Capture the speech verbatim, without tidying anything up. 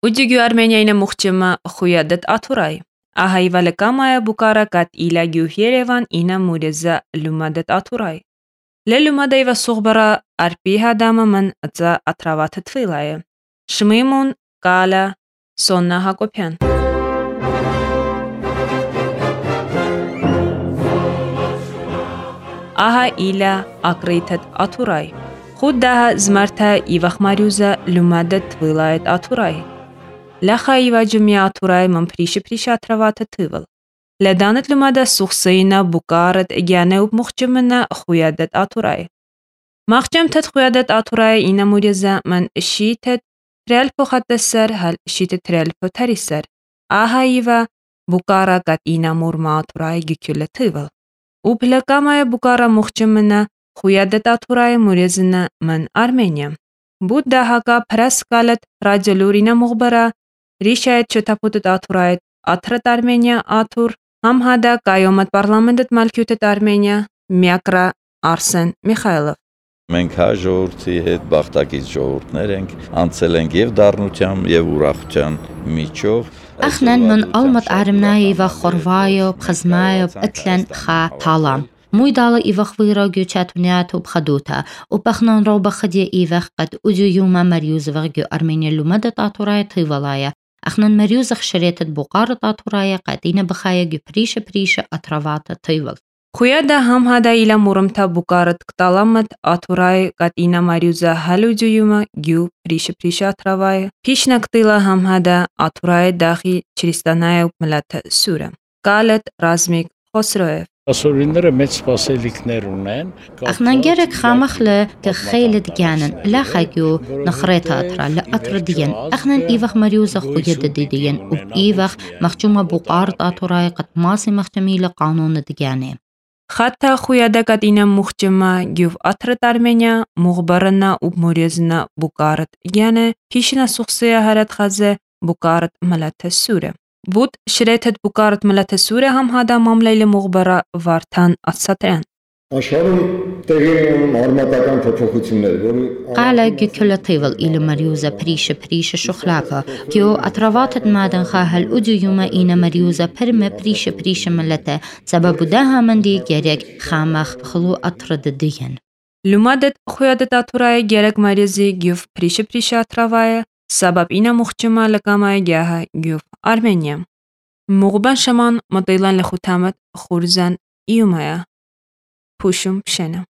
Uģigu Armeniayna muhçıma xuyadet aturay. Ahayvale kamaya bukara kat ila gyuh Yerevan ina mureza lumadet aturay. Le lumadayva suğbara arpi hadama man atza atravat tvilaya. Shmimun Kala Sonna Hakopyan. Aha ila akritet aturay. Khuddaha zmarta ivakh mariuza lumadet tvilayet aturay. Lacha iva jumya aturay man prishi prishi atravat tvival. Ledanet lumada suxsayna bukaret egyane up muhcimena xuyadet aturay. Maxcam tet xuyadet aturay ina muriza man shitet trel poxatesser hal shitet trel potarisser. Aha iva bukara kat ina murma aturay güküle tvival. Uplakamaya bukara muhcimena xuyadet aturay murizina man Armenia. Budda haka praskalet radyolurina muhbara rishayet çötaputet aturayet atrat Armenia atur hamhada kayomat parlamentet malkyutet Armenia Myakra Arsen Mikhailov. Մենք հայ ժողովրդի հետ բախտակից ժողովուրդներ ենք, անցել ենք եւ դառնության եւ ուրախության միջով. Ախնան մն ալմատ արմնայի ва խորվայով, խզմայով, ըտլեն խա թալամ. Մույդալը իվախ վիրո գյուչատունյատ ու բխադութա, ու բախնան ռոբա խդի իվախ կդ ուջույումա մարյուզվաղ գյու Արմենիա լումադը տատուրայը թիվալայը. Ախնան մարյուզախ շրետըտ բուqarը տատուրայը կատինը բխայը գյու պրիշը պրիշը ատրավատը թիվալ. Խույադա համհադա իլա մուրմթա բուqarët կտալամըտ aturay կատինա մարյուզա հալուջույումա գյու պրիշը պրիշը ատրավայը. Փիշնա կտիլա համհադա aturay դախի չրիստանայը ու մլաթը սուրը. Կալըտ Ռազմիկ Խոսրոև. Ասորիները մեծ սպասելիքներ ունեն. Ախնանգերը խամախլը կխելը դգյանն լախագյու նխրետը ատրալը ատրդիեն. Ախնան իվախ մարյուզը խույեդը դիդիեն ու իվախ մախճումա բուqarët aturay կտմասի մախճամիլը կանոնը դգյանը. Խաթա խույադա կատինա մուխճմա գյուվ աթրտ Արմենիա մուղբարնա ու մորեզնա բուqarët գյանը փիշնա սուխսեя հարատ խազե բուqarët մլաթը սուրը. Բուտ շրեթետ բուqarët մլաթը սուրը համհադա մամլայլը մուղբարա Վարդան Ասատրյան. Աշխարհում տեղի ունեն արմատական փոփոխություններ, որի Qala gükülatıyval ili mariuza prişe prişe şuxlaka. Gyo atravatët madan xahal ucuyuma ina mariuza perme prişe prişe millete. Sababu da hamandi gerek xamax xulu atradı diyen. Lumadet xuyadet aturaya gerek marizi gyuv prişe prişe atravaya. Sabab ina muhcima lakamaya gyaha gyuv Armenia. Muğban şaman mataylan lexutamet xurzan iyumaya. Puşum pşena.